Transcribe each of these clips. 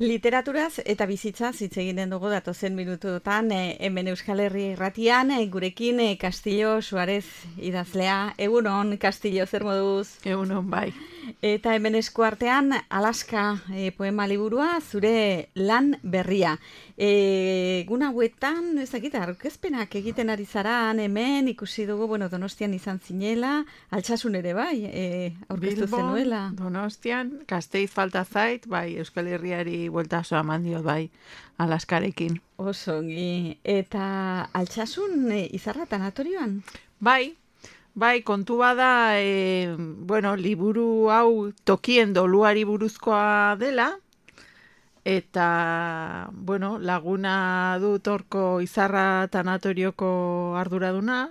Literaturaz eta bizitzaz hitz egiten dugu datozen minututan hemen Euskal Herri Irratian gurekin Castillo Suarez idazlea. Egunon, Castillo, zer moduz? Egunon, bai. Eta hemen eskuartean Alaska poema liburua, zure lan berria. Egun hauetan, ez dakit, aurkezpenak egiten ari zaran, hemen ikusi dugu, Donostian izan zinela, Altsasun ere bai, aurkeztu zenuela. Donostian, Gasteiz falta zait, bai, Euskal Herriari bueltasoa eman diot, bai, Alaskarekin. Osongi, eta Altsasun izarra tanatorioan? Bai, kontu bada, liburu hau tokien doluari buruzkoa dela, eta, laguna dut horko izarra tanatorioko arduraduna,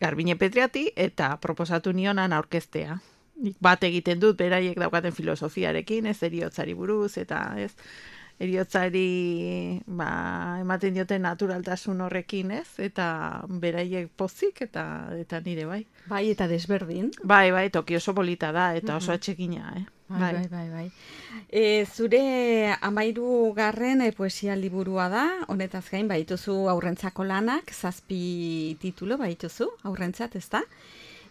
Garbine Petriati, eta proposatu nionan aurkeztea. Nik bat egiten dut, beraiek daukaten filosofiarekin, ez eriotzari buruz, eta ez eriotzari ematen dioten naturaltasun horrekin, ez? Eta beraiek pozik eta nire, bai. Bai, eta desberdin. Bai, toki oso polita da, eta oso atxekina, Bai. Zure 13. Poesia liburua da, honetaz gain, baituzu aurrentzako lanak, 7 titulu baituzu, aurrentzat, ez da?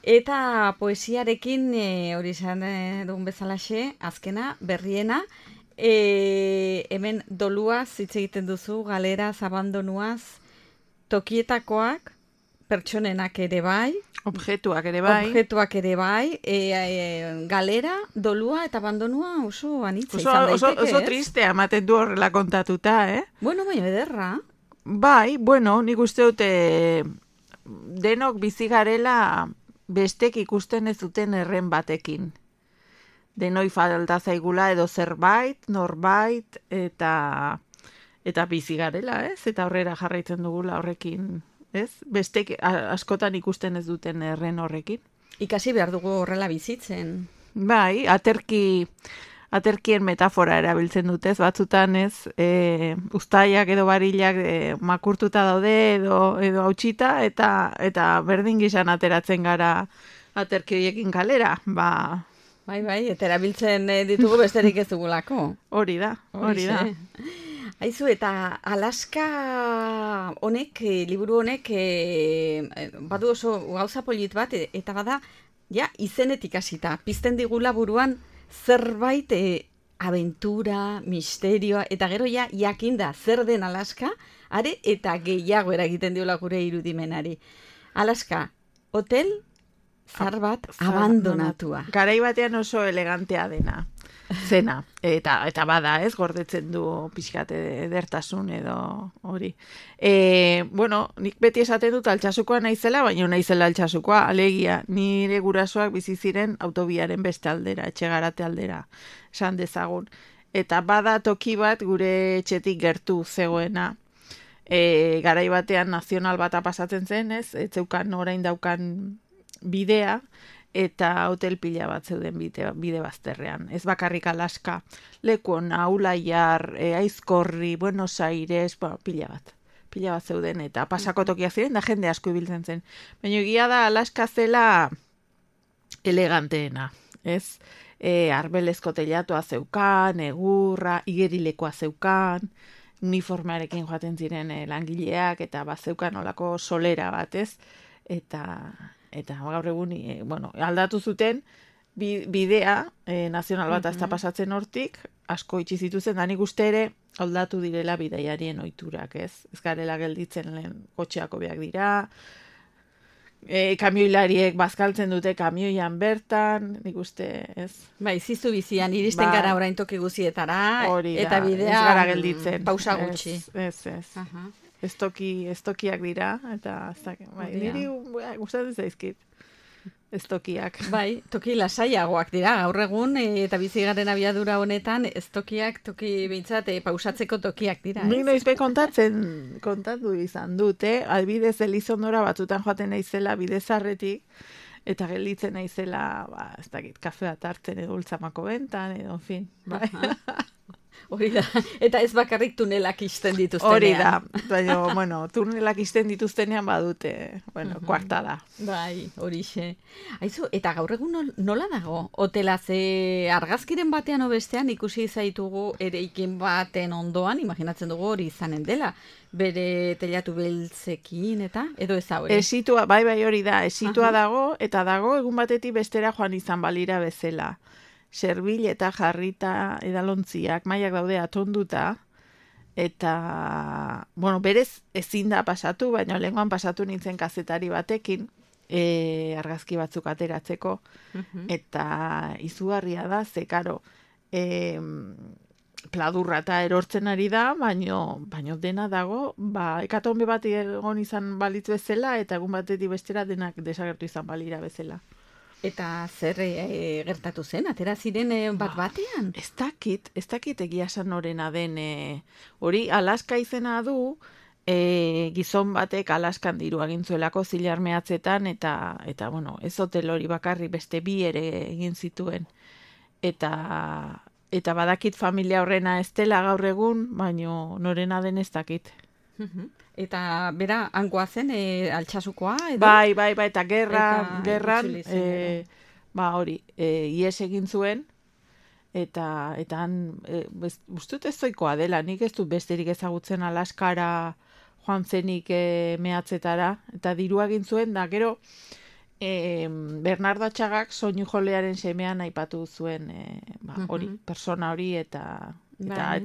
Eta poesiarekin, hori izan dugun bezalaxe, azkena, berriena, hemen doluaz hitz egiten duzu, galeraz, abandonuaz, tokietakoak, pertsonenak ere bai. Objektuak ere bai. Galera, dolua eta abandonua oso anitza izan daiteke, oso tristea ematen du horrela kontatuta, Baina ederra. Bai, nik uste dute denok bizi garela bestek ikusten ez duten erren batekin. Denoi falta zaigula edo zerbait, norbait, eta bizi garela, ez? Eta horrera jarraitzen dugula horrekin, ez? Bestek askotan ikusten ez duten erren horrekin. Ikasi behar dugu horrela bizitzen. Bai, aterkien metafora erabiltzen dutez, batzutan ez, uztaiak edo barilak makurtuta daude edo hautsita, eta berdin gizan ateratzen gara aterki horiekin kalera, Bai, eta erabiltzen ditugu besterik ez dugulako. Hori da. Aizu, eta Alaska honek, liburu honek, badu oso gauza polit bat, eta bada, izenetik hasita, pizten digula buruan zerbait abentura, misterioa, eta gero jakinda zer den Alaska, are eta gehiago eragiten diola gure irudimenari. Alaska, hotel zar bat abandonatua. Garai batean oso elegantea dena. Zena, eta bada, ez, gordetzen du pixkat edertasun edo hori. Nik beti esaten dut Altsasukoa naizela, baina naizela Altsasukoa, alegia, nire gurasoak bizi ziren autobiaren beste aldera, etxegarate aldera, esan dezagun. Eta bada toki bat gure etxetik gertu zegoena. Garai batean nazional bata pasatzen zen, ez zeukan orain daukan bidea, eta hotel pila bat zeuden bide bazterrean. Ez bakarrik Alaska, Lekon, Aulaiar, Aizkorri, Buenos Aires, pila bat zeuden, eta pasako tokia ziren, da jende asko ibiltzen zen. Baina egia da Alaska zela eleganteena, ez? Arbelezko teilatua zeukan, egurra, igerilekoa zeukan, uniformearekin joaten ziren langileak, eta zeukan olako solera bat, ez? Eta gaur egun, aldatu zuten bidea, nazional bat azta pasatzen hortik, asko itxi zituzen, da nik uste ere aldatu direla bidaiarien ohiturak, ez? Ez garela gelditzen lehen kotxeako beak dira, kamioilariek bazkaltzen dute kamioian bertan, nik uste, ez? Bai, zizu bizian, iristen gara orain toki guzietara, eta bidea ez gara gelditzen. Pausa gutxi. Ez. Estokiak dira, eta niri gustatzen zaizkit estokiak. Bai, toki lasaiagoak dira, gaur egun, eta bizi garen abiadura honetan, estokiak, toki bintzat, pausatzeko tokiak dira. Nik noizbe kontatu izan dute, albidez Elizondora batzutan joaten naizela bidezarretik, eta gelditzen naizela, ez dakit, kafe bat hartzen edo ultzamako bentan, edo, en fin, bai. Hori da, eta ez bakarrik tunelak isten dituztenean. Hori da, baina, bueno, tunelak isten dituztenean badute, bueno, kuarta da. Bai, horixe. Aizu, eta gaur egun nola dago? Hotela ze argazkiren batean bestean ikusi zaitugu eraikin baten ondoan, imaginatzen dugu hori izanen dela, bere telatu beltzekin eta, edo ez hau ere? Esitua, bai hori da, esitua dago, eta dago egun batetik bestera joan izan balira bezala. Serbil eta jarrita edalontziak, mailak daude atonduta, eta, bueno, berez ezin da pasatu, baina lehengoan pasatu nintzen kazetari batekin, argazki batzuk ateratzeko, eta izugarria da, ze karo, pladurra eta erortzen ari da, baino dena dago, hekatombe bat egon izan balitz bezala, eta egun batetik bestera denak desagertu izan balira bezala. Eta zer gertatu zen, atera ziren bat-batean? Ez dakit egia esan norena den, hori Alaska izena du, gizon batek Alaskan diru agintzuelako zilar mehatzetan, eta bueno, ez hotel hori bakarri beste bi ere egin zituen. Eta badakit familia horrena ez dela gaur egun, baino norena den ez dakit. Eta bera, hangoa zen, Altsasukoa? Edo? Bai, eta gerran, hori, ies egin zuen, eta han, ustut ez zoikoa dela, nik ez dut besterik ezagutzen Alaskara joan zenik mehatzetara, eta dirua egin zuen, da gero, Bernardo Atxagak soinu jolearen semean aipatu zuen, hori, persona hori, eta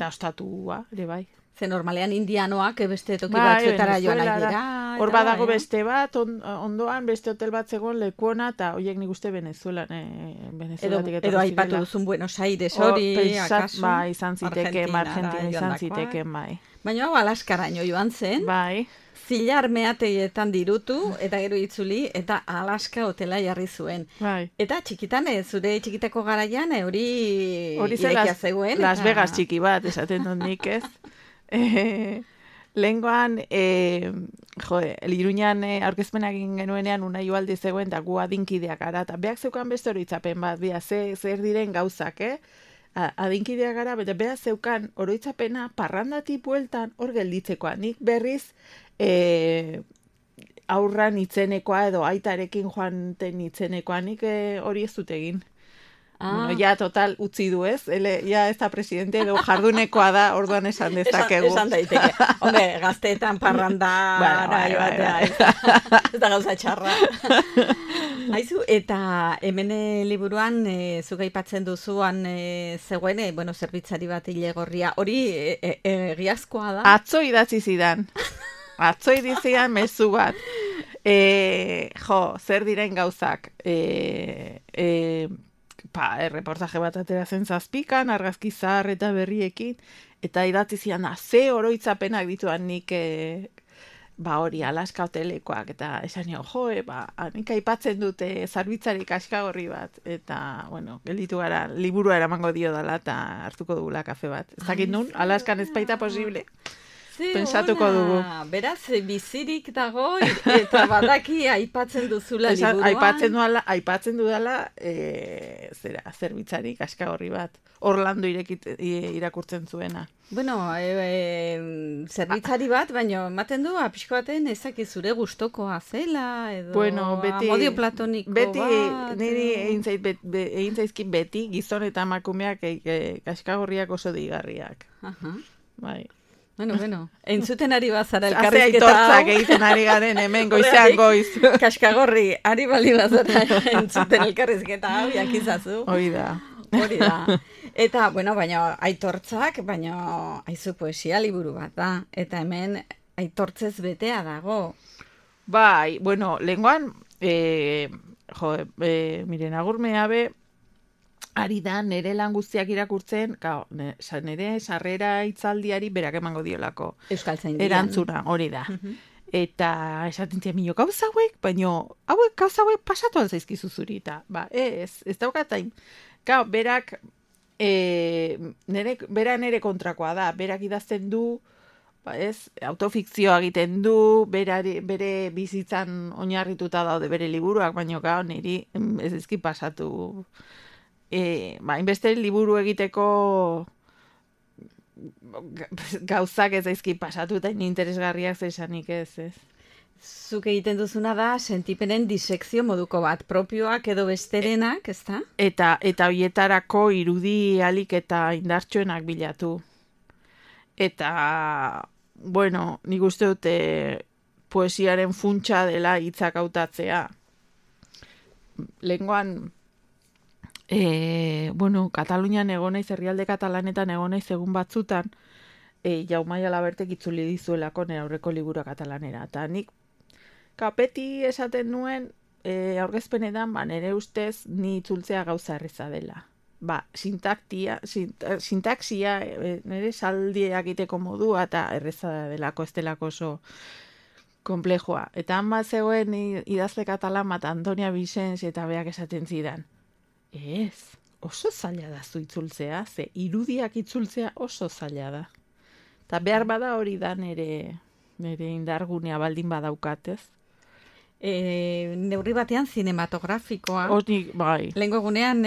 ostatua, ere bai. Ze normalean indianoak beste toki batzuetara joan nahi dira. Hor badago beste bat, ondoan beste hotel bat zegoen lekuona, eta horiek nik uste Venezuelatik etorri zirela. Edo aipatu duzun Buenos Aires hori, akaso? Bai, izan Argentina izan ziteken, bai. Baina hau Alaskaraino joan zen. Bai. Zilar meateietan dirutu, eta gero itzuli, eta Alaska hotela jarri zuen. Bai. Eta txikitan, zure txikitako garaian, hori irekia zegoen. Las Vegas txiki bat, esaten dut nik ez. Lehengoan, Iruñan aurkezpenak egin genuenean Unai Ugalde zegoen, da gu adinkideak gara, eta beak zeukan beste oroitzapen bat, zer diren gauzak, adinkideak gara, bete beak zeukan oroitzapena parrandatik bueltan hor gelditzekoa. Nik berriz aurran itzenekoa edo aitarekin joanten itzenekoa, nik hori ez dut egin. Bueno, ja total utzi du ez, ja ez da presidente edo jardunekoa da, orduan esan dezakegu. Esan daiteke. Hombre, gazteetan parranda ez da gauza txarra. Haizu, eta hemen liburuan zuk aipatzen duzuan zegoen, zerbitzari bat ilegorria, hori egiazkoa da? Atzo idatzi zidan. Atzo idatzian mezu bat. Zer diren gauzak. Reportaje bat ateratzen zazpikan, argazki zahar eta berriekin, eta idatzi zian, ze oroitzapenak dituan nik hori Alaska hotelekoak, eta esan nio, nik aipatzen dute zarbitzarik kaskagorri bat, eta, gelditu gara, liburua eramango dio dela, eta hartuko dugula kafe bat. Ez dakit nun, Alaskan ez baita posible. Pensatuko dugu. Beraz, bizirik dago, eta badaki aipatzen duzula liburuan. Aipatzen dudala, zerbitzari kaskagorri bat. Orlando irakurtzen zuena. Zerbitzari bat, baina ematen du, pixko baten ezak zure gustokoa zela, edo amodio platoniko bat. Niri egin zaizkin beti, gizon eta emakumeak kaskagorriak oso digarriak. Bai. Entzuten ari bazara elkarrizketa. Haze aitortzak egiten ari garen hemen goizean goiz. Kaskagorri, ari bali bazara entzuten elkarrizketa hau, jakizazu. Hori da. Eta, baina aitortzak, haizu poesia liburu bat da. Eta hemen aitortzez betea dago. Bai, lehengoan, miren, agurmea be, ari da, nire lan guztiak irakurtzen, nire sarrera itzaldiari berak emango diolako. Euskaltzaindian. Erantzuna, hori da. Eta esaten zian minio, gauza hauek, baina gauza hauek pasatu alzaizkizu zuri, eta ez daukatain. Berak, bera nire kontrakoa da, berak idazten du, autofikzioa egiten du, bere bizitzan oinarrituta daude bere liburuak, baina niri ez ezki pasatu. Hainbeste liburu egiteko gauzak ez daizki pasatu eta interesgarriak zesanik ez. Zuk egiten duzuna da sentipenen disekzio moduko bat, propioak edo besterenak, ezta? Eta hoietarako irudi alik eta indartsuenak bilatu. Eta, bueno, nik uste dute poesiaren funtsa dela hitzak hautatzea. Lehengoan, Katalunian egon naiz, herrialde katalanetan egon naiz egun batzutan, Jaume Alabertek itzuli dizuelako nire aurreko liburu katalanera. Eta nik kapeti esaten nuen aurkezpenetan, nire ustez ni itzultzea gauza erreza dela. Sintaksia, nire saldiak egiteko modua eta erreza delako, ez delako oso komplejoa. Eta han bat zegoen idazle katalan bat Antonia Vicens eta beak esaten zidan. Ez, oso zaila da zu itzultzea, ze irudiak itzultzea oso zaila da. Eta behar bada hori da nire indargunea baldin badaukat, ez? Neurri batean zinematografikoa. Hori, bai. Lehengo egunean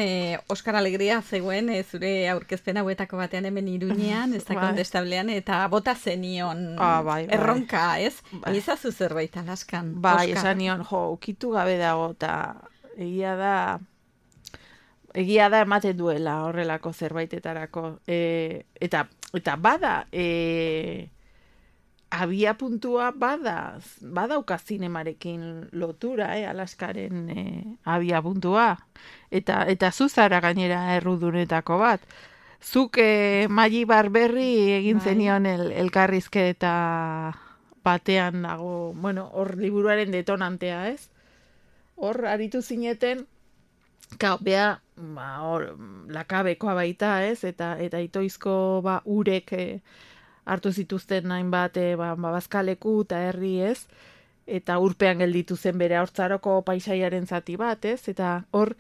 Oskar Alegria zegoen zure aurkezpen hauetako batean hemen Iruñean, ez da kontestablean, eta bota zenion bai. erronka, ez? Bai. Izazu zerbait Alaskan. Bai, esan nion, ukitu gabe dago, eta egia da ematen duela horrelako zerbaitetarako. Eta bada, abia puntua badauka zinemarekin lotura, Alaskaren abia puntua. Eta zuzara gainera errudunetako bat. Zuk Maggi Barberri egin zenion elkarrizketa batean dago, hor liburuaren detonantea, ez? Hor aritu zineten, bea, lakabekoa baita, ez? Eta itoizko urek hartu zituzten hainbat bazkaleku eta herri, ez? Eta urpean gelditu zen bere haurtzaroko paisaiaren zati bat, ez? Eta hor,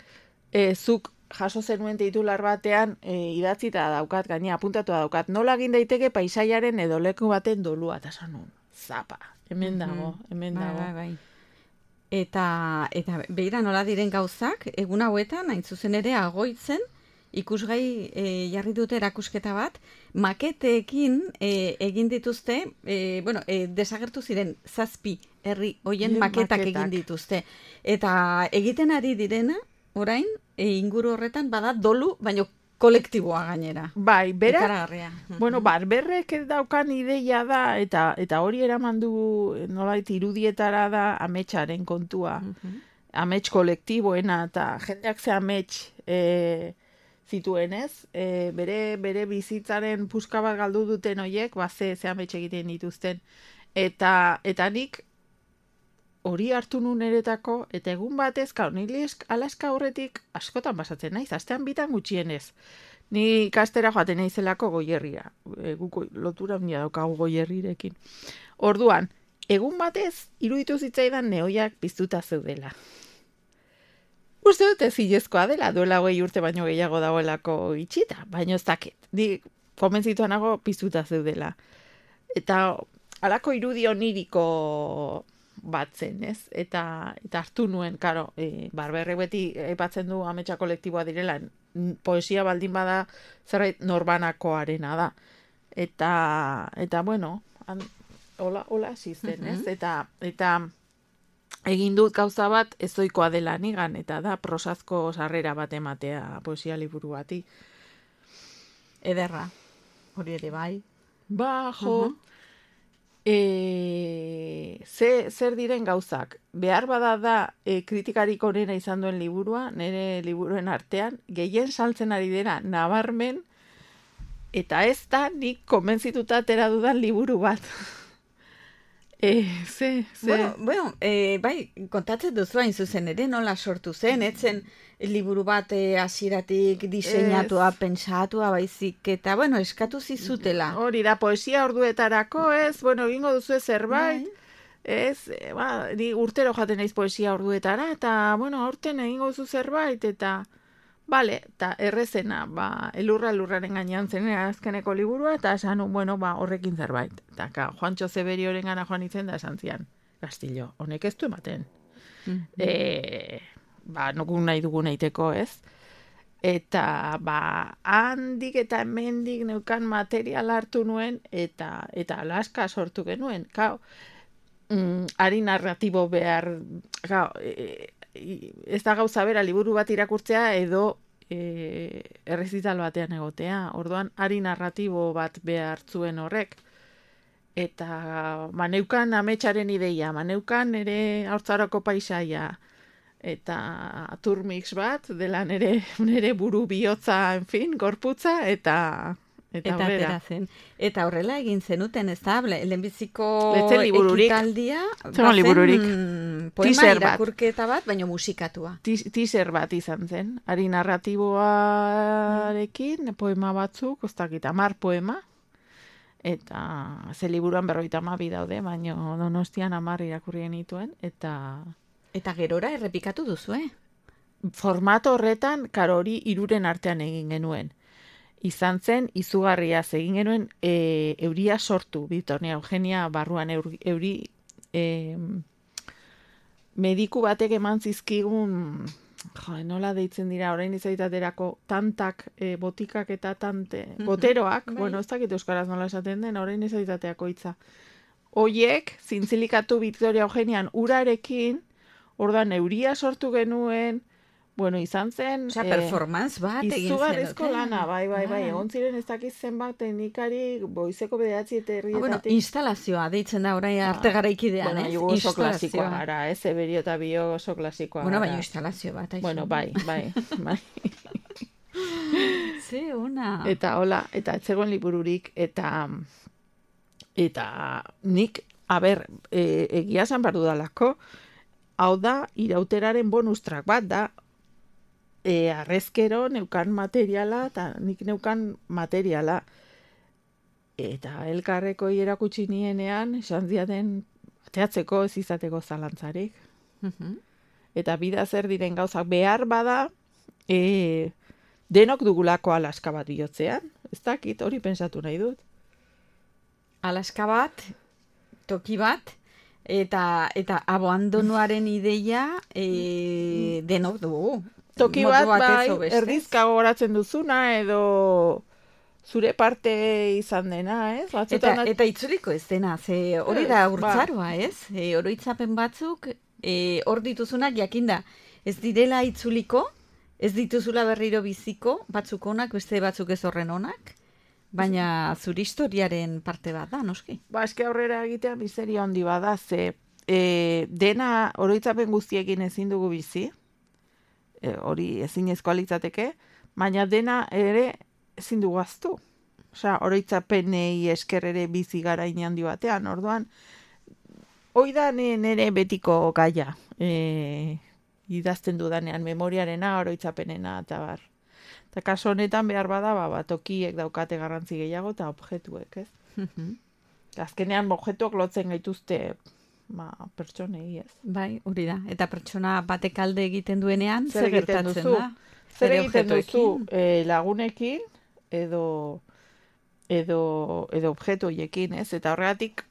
zuk jaso zenuen titular batean idatzita daukat, gaina apuntatua daukat, nola egin daiteke paisaiaren edo leku baten dolua, eta sanun, zapa, hemen dago. Bai. Eta begira nola diren gauzak, egun hauetan, hain zuzen ere agoitzen, ikusgai jarri dute erakusketa bat, maketeekin egin dituzte, desagertu ziren 7 herri hoien maketak egin dituzte. Eta egiten ari direna, orain, inguru horretan bada dolu, baino kolektiboa gainera. Bai, bera, ikaragarria. Barberrek daukan ideia da, eta hori eraman du nolait irudietara da ametsaren kontua. Amets kolektiboena, eta jendeak ze amets zituenez, bere bizitzaren puska bat galdu duten hoiek, ze amets egiten dituzten. Eta nik hori hartu nun eretako, eta egun batez, nire Alaska horretik askotan basatzen naiz, astean bitan gutxienez. Ni ikastera joaten naizelako Goierria. Guko lotura handia daukagu Goierrirekin. Orduan, egun batez, iruditu zitzaidan nehoiak piztuta zeudela. Uste dute zilezkoa dela, duela 20 urte baino gehiago dagoelako itxita, baino ez dakit. Ni komentzituan nago piztuta zeudela. Eta halako irudi oniriko batzen, ez? Eta hartu nuen, karo, Barberrek beti aipatzen du ametsa kolektiboa direla, poesia baldin bada zerbait norbanakoarena da. Eta bueno, hola hasi zen, ez? Eta egin dut gauza bat ezoikoa dela nigan, eta da prosazko sarrera bat ematea poesia liburu bati. Ederra, hori ere bai. Zer diren gauzak? Behar bada da kritikarik onena izan duen liburua, nire liburuen artean, gehien saltzen ari dena nabarmen, eta ez da nik konbentzituta atera dudan liburu bat. Bai, kontatzen duzu hain zuzen ere, nola sortu zen, etzen liburu bat hasieratik diseinatua, pentsatua, baizik, eta, eskatu zizutela. Hori da, poesia orduetarako, egingo duzu zerbait, ni urtero jaten naiz poesia orduetara, eta, aurten egingo duzu zerbait, eta, eta errezena, elurraren gainean zen azkeneko liburua, eta esan, horrekin zerbait. Eta, Juantxo Zeberioren gana joan izen da esan zian, Castillo, honek ez du ematen. Nokun nahi dugun eiteko, ez? Eta, handik eta hemendik neukan material hartu nuen, eta Alaska sortu genuen. Kao, ari narratibo behar, ez da gauza bera liburu bat irakurtzea edo errezital batean egotea. Orduan, ari narratibo bat behar zuen horrek. Eta maneukan ametsaren ideia, maneukan ere haurtzaroko paisaia, eta turmix bat, dela nere buru bihotza, en fin, gorputza, eta atera zen. Eta horrela egin zenuten, ez da, lehenbiziko ekitaldia, poema irakurketa bat, baina musikatua. Teaser bat izan zen, ari narratiboarekin, poema batzuk, oztakit, 10 poema, eta ze liburuan 52 daude, baina Donostian 10 irakurri genituen, Eta gerora errepikatu duzu, Formato horretan, hori 3 artean egin genuen. Izan zen, izugarriaz egin genuen euria sortu, Bitornia Eugenia barruan euri mediku batek eman zizkigun, nola deitzen dira, orain izaitaterako tantak, botikak eta tante, boteroak, bueno, ez dakit euskaraz nola esaten den, orain izaitateako hitza. Hoiek, zintzilikatu Bitornia Eugenian urarekin, ordan euria sortu genuen, bueno, izan zen... Osea, performance bat egin zen. Izugarrizko lana, bai, egon ziren ez dakiz zenbat teknikari, goizeko 9 eta herrietatik. Bueno, instalazioa, deitzen da orain arte garaikidean, ez? Bueno, oso klasikoa gara, ez? Eberio eta bio oso klasikoa gara. Bueno, baina instalazio bat, aixo. Bueno, bai. Ze, ona. Eta hola, eta etzegoen libururik, eta nik, egia zan bardu dalako, hau da, irauteraren bonus track bat da, arrezkero neukan materiala, eta nik neukan materiala. Eta elkarreko erakutsi nienean, esan ziaten, ateatzeko ez izateko zalantzarik. Eta bida zer diren gauzak behar bada, denok dugulako Alaska bat bihotzean. Ez dakit, hori pensatu nahi dut. Alaska bat, toki bat, eta abandonuaren ideia denok dugu. Toki bat, bai, erdizka gogoratzen duzuna, edo zure parte izan dena, ez? Eta itzuliko ez dena, ze hori da urtzaroa, ez? Oroitzapen batzuk, hor dituzunak jakinda, ez direla itzuliko, ez dituzula berriro biziko, batzuk onak, beste batzuk ez horren onak, baina zure historiaren parte bat da, noski? Eske aurrera egitea miseria handi bada, ze dena oroitzapen guztiekin ezin dugu bizi, hori ezinezkoa litzateke, baina dena ere ezin dugu ahaztu. Osea, oroitzapenei esker ere bizi gara handi batean, orduan, hoi da nere betiko gaia, idazten dudanean, memoriarena, oroitzapenena, eta bar. Eta kaso honetan behar bada, tokiek daukate garrantzi gehiago, eta objektuek, ez? Azkenean, objektuak lotzen gaituzte, pertsonei, ez. Bai, hori da. Eta pertsona batek alde egiten duenean, zer gertatzen da? Zer egiten duzu lagunekin, edo objektu horiekin, ez? Eta horregatik,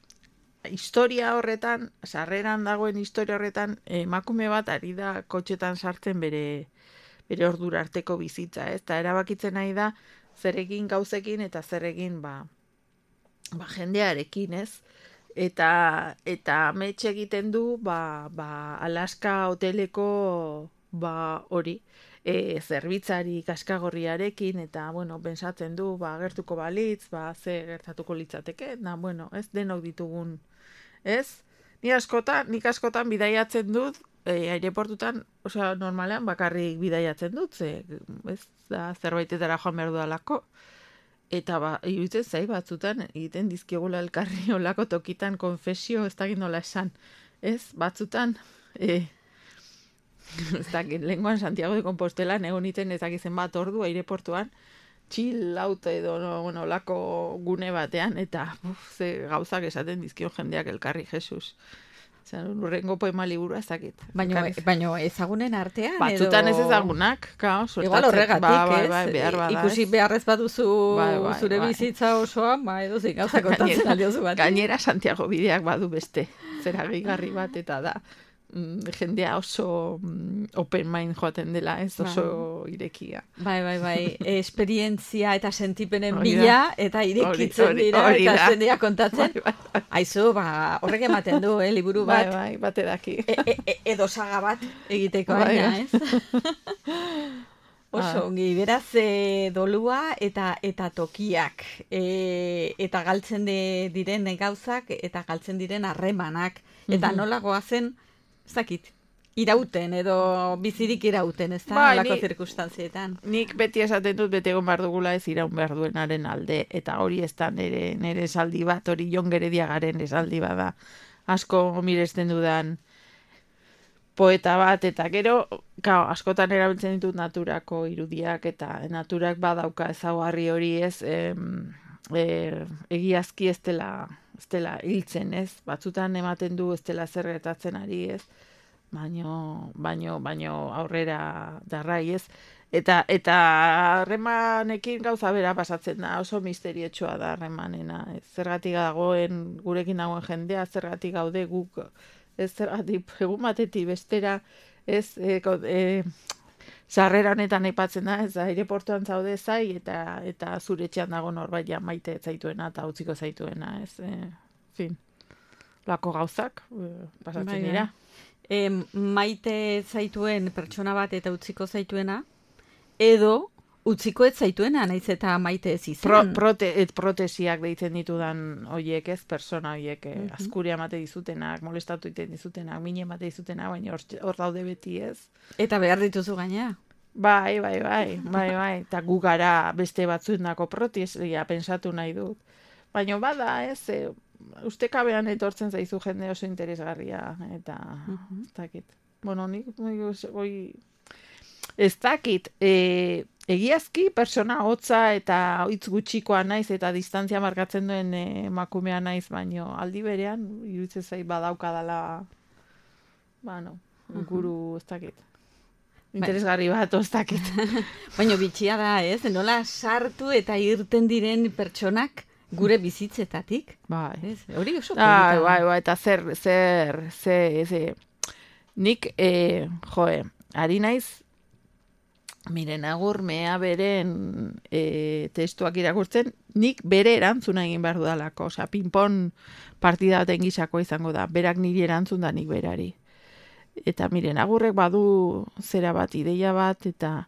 historia horretan, sarreran dagoen historia horretan, emakume bat ari da kotxetan sartzen bere ordura arteko bizitza, ez? Eta erabakitzen nahi da, zer egin gauzekin eta zer egin, jendearekin, ez? Eta amets egiten du, Alaska hoteleko, hori, zerbitzari kaskagorriarekin, eta, bueno, pensatzen du, gertuko balitz, ze gertatuko litzateke, ez denok ditugun, ez? Nik askotan bidaiatzen dut, aireportutan, osea, normalean bakarrik bidaiatzen dut, ez da zerbaitetara joan behar dudalako. Eta iruditzen zai batzutan egiten dizkiogula elkarri olako tokitan konfesio, ez dakit nola esan. Ez, batzutan, ez dakit, lenguan Santiago de Compostela egon iten ez dakitzen bat ordu aireportuan, chill out edo olako gune batean, eta ze gauzak esaten dizkio jendeak elkarri, Jesus. Urrengo poema liburua ez dakit. Baina ezagunen artean, batzutan ez ezagunak, igual horregatik, ez? Behar bada, ikusi beharrez baduzu zure bizitza osoan, edo zein gauza kontatzen aldiozu bat. Gainera Santiago bideak badu beste, zera gehigarri bat, eta da, jendea oso open mind joaten dela, ez oso irekia. Bai, esperientzia eta sentipenen Hori da. bila, eta irekitzen dira, hori eta da. jendea kontatzen. Aizu, horrek ematen du, liburu bat. Bai, bate daki. Edo saga bat egiteko, Bai, aina, bai. ez? Oso, ongi, beraz, dolua eta tokiak, eta galtzen diren gauzak, eta galtzen diren harremanak, eta nola goazen, ez dakit, irauten, edo bizirik irauten, ez da, Bai, nolako ni- zirkunstantzietan. Nik beti esaten dut bete egon behar dugula ez iraun behar duenaren alde, eta hori ez da nire esaldi bat, hori Jon Gerediagaren esaldi bada, asko miresten dudan poeta bat, eta gero, askotan erabiltzen ditut naturako irudiak, eta naturak badauka ezaugarri hori ez, egiazki ez dela hiltzen, ez? Batzutan ematen du ez dela zer gertatzen ari, ez? Baino aurrera darrai, ez? Eta harremanekin gauza bera pasatzen da, oso misteriotsoa da harremanena. Zergatik dagoen, gurekin dagoen jendea, zergatik gaude guk, ez zergatik egun batetik bestera, ez sarrera honetan aipatzen da, ez da, aireportuan zaude zai, eta zure etxean dago norbait ja maite ez zaituena, eta utziko zaituena, ez, fin, lako gauzak pasatzen Bai, bai. dira. Maite zaituen pertsona bat eta utziko zaituena, edo utziko ez zaituena, naiz eta maite ez izan. Protesiak deitzen ditudan hoiek, ez, persona hoiek, azkuria emate dizutenak, molestatu egiten dizutenak, mine emate dizutenak, baina hor daude beti, ez. Eta behar dituzu gainea. Bai, eta gu gara beste batzuendako protesia pensatu nahi dut. Baina bada, ez, ustekabean etortzen zaizu jende oso interesgarria, eta ez dakit. Bueno, nik ez dakit, egiazki persona hotza eta hitz gutxikoa naiz eta distantzia markatzen duen emakumea naiz, baino aldi berean iruditzen zait badaukadala, guru ez dakit. Interesgarri bat, ez dakit. Baina bitxia da, ez? Nola sartu eta irten diren pertsonak gure bizitzetatik. Bai. Ez? Hori oso polita. Bai, eta nik, ari naiz, miren agurmea beren testuak irakurtzen, nik bere erantzuna egin behar dudalako, osea, ping-pong partida baten gisako izango da, berak niri erantzun da nik berari. Eta miren, agurrek badu zera bat, ideia bat, eta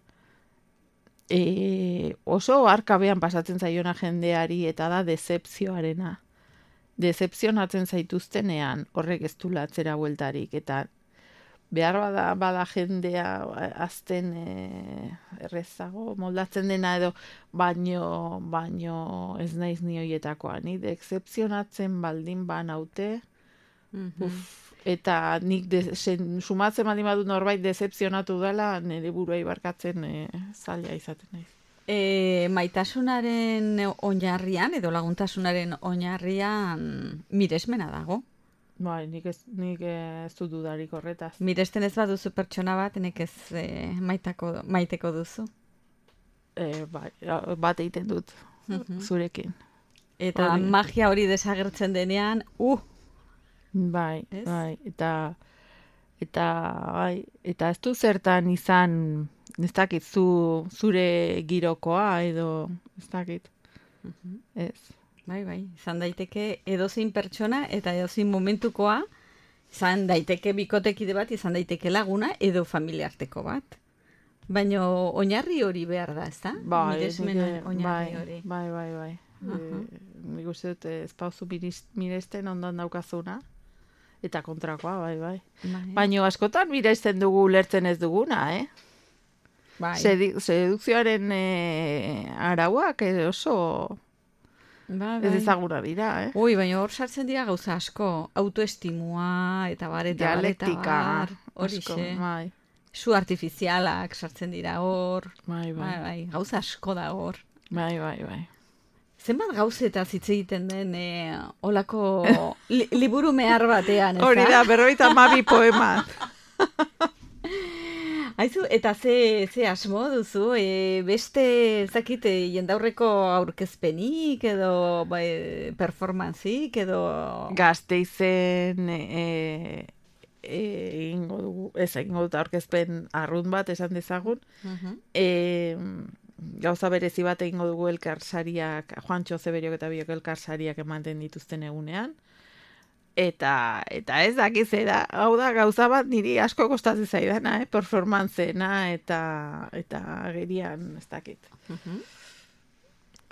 oso arkabean pasatzen zaiona jendeari, eta da decepzioarena. Decepzionatzen zaituztenean horrek ez du atzera bueltarik, eta behar bada jendea azten errezago moldatzen dena edo, baino ez naiz ni hoietakoa. Ni decepzionatzen baldin banaute, eta nik sumatzen baldin badut norbait decepzionatu dela, nire buruei barkatzen zaila izaten naiz. Maitasunaren oinarrian, edo laguntasunaren oinarrian miresmena dago. Bai, nik ez dut dudarik horretaz. Miresten ez baduzu pertsona bat, nek ez maiteko duzu. Bai, bat egiten dut zurekin. Eta magia hori desagertzen denean, Bai, eta ez du zertan izan, ez dakit, zure girokoa, edo, ez dakit, ez. Bai, izan daiteke edozein pertsona eta edozein momentukoa, izan daiteke bikotekide bat, izan daiteke laguna edo familiarteko bat. Baina oinarri hori behar da, ez da? Miresmena oinarri hori. Bai. Nik uste dut ez pauzu miresten ondoan daukazuna, eta kontrakoa, bai. Baina askotan miresten dugu ulertzen ez duguna, Bai. Sedukzioaren arauak oso... Ez ezaguna dira, Ui, baina hor sartzen dira gauza asko, autoestimua, eta bar, dialektika, horixe. Bai. Su artifizialak sartzen dira hor. Bai. Gauza asko da hor. Bai. Zenbat gauzetaz hitz egiten den olako liburu mehar batean, ez da? Hori da, 52 poema. Aizu, eta ze asmo duzu, beste, ezakit, jendaurreko aurkezpenik, edo performanzik, edo... Gasteizen egingo dugu, egingo dut aurkezpen arrunt bat esan dezagun. Gauza berezi bat egingo dugu elkarsariak, Juantxo Zeberiok eta biok elkarsariak ematen dituzten egunean. Eta ez dakiz da, hau da gauza bat niri asko kostatzen zaidana, performantzena eta agerian ez dakit.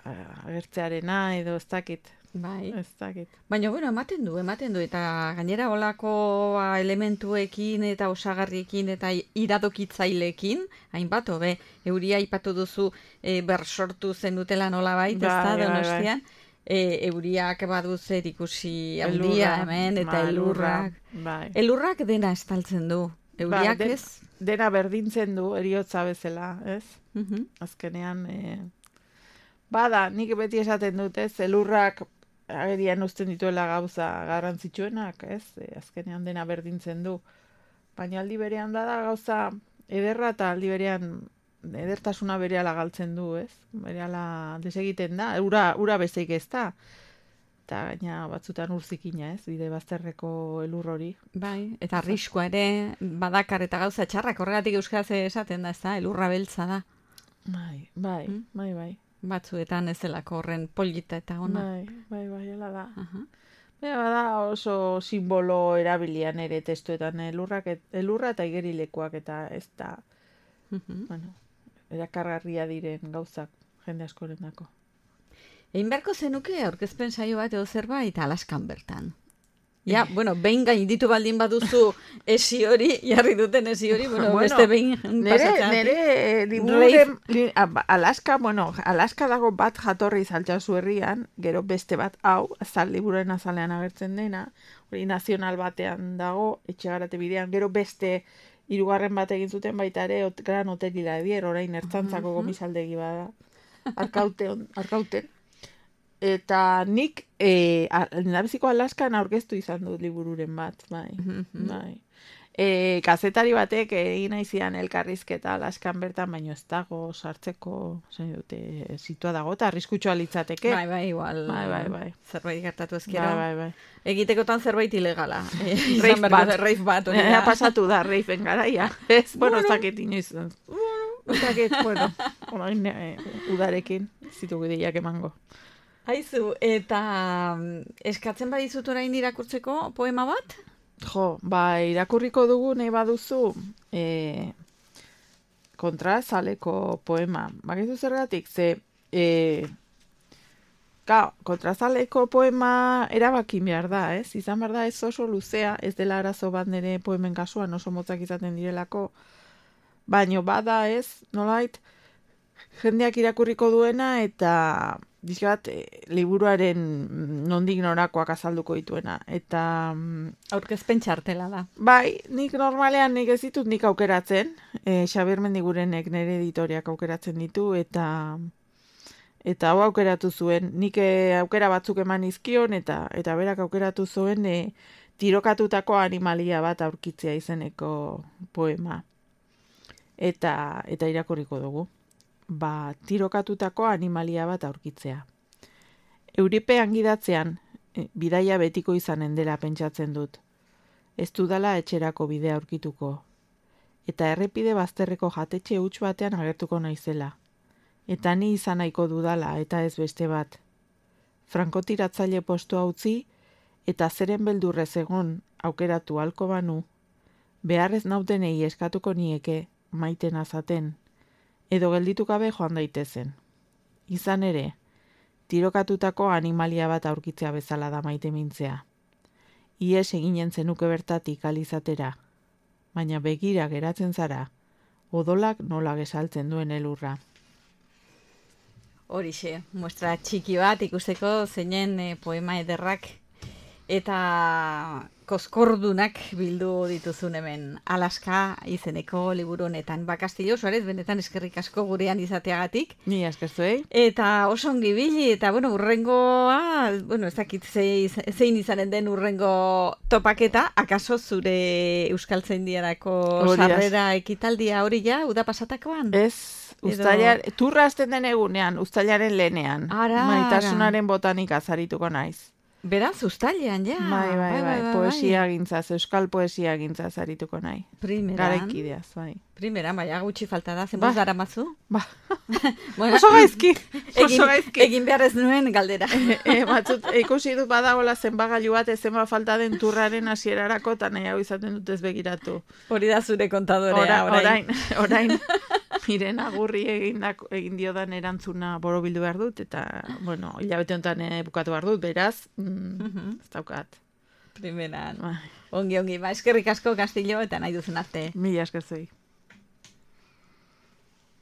Agertzearena edo ez dakit. Bai. Ez dakit. Baina, bueno, ematen du, eta gainera olako elementuekin eta osagarriekin eta iradokitzailekin, hainbat, hobe, euria aipatu duzu bersortu zenutela nolabait, ez da, Donostian. Euriak badu zer ikusi handia hemen, eta elurrak. Elurrak dena estaltzen du. Euriak ez? Dena berdintzen du, eriotza bezala, ez? Azkenean, bada, nik beti esaten dut, ez? Elurrak agerian uzten dituela gauza garrantzitsuenak, ez? Azkenean dena berdintzen du. Baina aldi berean da gauza ederra eta aldi berean edertasuna berehala galtzen du, ez? Berehala desegiten da, ura bezeik ez da. Eta gaina batzutan urzikina, ez? Bide bazterreko elur hori. Bai, eta arriskua ere badakar eta gauza txarrak, horregatik euskaraz esaten da, ez da? Elurra beltza da. Bai. Batzuetan ez delako horren polita eta ona. Bai, hala da. Bada oso simbolo erabilian ere testuetan elurra eta igerilekoak eta ez da, erakargarria diren gauzak jende askorendako. Egin beharko zenuke aurkezpen saio bat edo zerbait Alaskan bertan. Ja, bueno, behin gainditu baldin baduzu esi hori, jarri duten esi hori, beste behin pasatxatik. Nere libururen, Alaska dago bat jatorri Altsasu herrian, gero beste bat hau, libururen azalean agertzen dena, hori nazional batean dago, Etxegarate bidean, gero beste 3. bat egin zuten baita ere, Gran Hotelila edier, orain ertzantzako gomisaldegi bada, arkauten. Eta nik lehendabiziko Alaskan aurkeztu izan dut libururen bat, bai. Kazetari batek egin nahi zian elkarrizketa Alaskan bertan, baino ez dago sartzeko, situa dago, eta arriskutsua litzateke. Bai, igual. Bai. Zerbait gertatu ezkero. Bai. Egitekotan zerbait ilegala. Reif bat. Pasatu da, reifen garaia. Ez, ez dakit inoiz. Ez dakit, udarekin, zitugu ideiak emango. Haizu, eta eskatzen badizut orain irakurtzeko poema bat? Jo, irakurriko dugu nahi baduzu kontrazaleko poema. Bakizu zergatik, kontrazaleko poema erabakin behar da, ez? Izan behar da ez oso luzea, ez dela arazo bat nire poemen kasuan oso motzak izaten direlako, baino bada ez, nolait, jendeak irakurriko duena eta dizkat, liburuaren nondik norakoak azalduko dituena. Eta aurkezpen txartela da. Bai, nik normalean nik ez ditut nik aukeratzen. Xabier Mendigurenek nire editoriak aukeratzen ditu eta hau aukeratu zuen. Nik aukera batzuk eman izkion eta berak aukeratu zuen tirokatutako animalia bat aurkitzea izeneko poema. Eta irakurriko dugu. Tirokatutako animalia bat aurkitzea. Euripean gidatzean, bidaia betiko izanen dela pentsatzen dut. Ez dudala etxerako bidea aurkituko. Eta errepide bazterreko jatetxe huts batean agertuko naizela. Eta ni izan nahiko dudala eta ez beste bat. Frankotiratzaile postua utzi eta zeren beldurrez egon aukeratu halko banu, beharrez nautenei eskatuko nieke maiten azaten. Edo gelditu gabe joan daitezen. Izan ere, tirokatutako animalia bat aurkitzea bezala da maite mintzea. Ies eginen zenuke bertatik alizatera, baina begira geratzen zara, odolak nola gesaltzen duen elurra. Horixe, muestra txiki bat ikusteko zeinen poema ederrak eta koskordunak bildu dituzun hemen Alaska izeneko liburu honetan. Castillo Suarez, benetan eskerrik asko gurean izateagatik. Ni eskerzuei. Eta oso ongi bili, eta urrengoa, ez dakit zein izanen den urrengo topaketa, akaso zure Euskaltzaindiarako sarrera ekitaldia hori ja, uda pasatakoan? Ez, turra hasten den egunean, uztailaren lehenean. Maitasunaren botanika zarituko naiz. Beraz, ustailean, ja. Bai, poesia gintzaz, euskal poesia gintzaz arituko nahi. Primeran. Garaikideaz, bai. Primeran, baina gutxi falta da, zenbuz dara mazu? Ba, Bueno, oso gaizki. Egin behar ez nuen galdera. Batzut, ikusi dut badagola zenbagailu bat, zenba falta den turraren hasierarako, eta nahi hau izaten dut ez begiratu. Hori da zure kontadorea, Orain, miren agurri egin diodan erantzuna borobildu behar dut, eta, bueno, hilabete honetan bukatu behar dut, beraz, ez daukat. Primeran. Ongi, eskerrik asko Castillo, eta nahi duzen arte. Mila esker zuei.